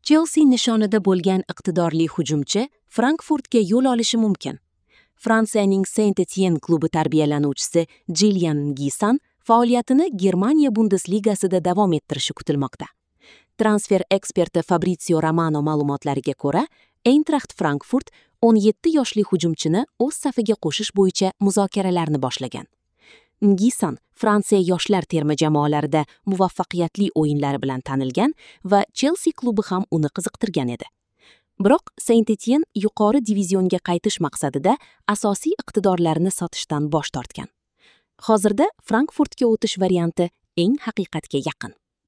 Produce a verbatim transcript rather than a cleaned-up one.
Chelsi nishonida bo'lgan iqtidorli hujumchi Frankfurtga yo'l olishi mumkin. Fransiyaning Saint-Etienne klubi tarbiyalanuvchisi Jilyan Ngisan faoliyatini Germaniya Bundesligasida davom ettirishi kutilmoqda. Transfer eksperti Fabrizio Romano ma'lumotlariga ko'ra, Eintracht Frankfurt o'n yetti yoshli hujumchini o'z safiga qo'shish bo'yicha muzokaralarni boshlagan. Ngisan Fransiya yoshlar terma jamoalarida muvaffaqiyatli o'yinlari bilan tanilgan va Chelsi klubi ham uni qiziqtirgan edi. Biroq Saint-Etienne yuqori divizionga qaytish maqsadida asosiy iqtidorlarini sotishdan bosh tortgan. Hozirda Frankfurtga o'tish varianti eng haqiqatga yaqin.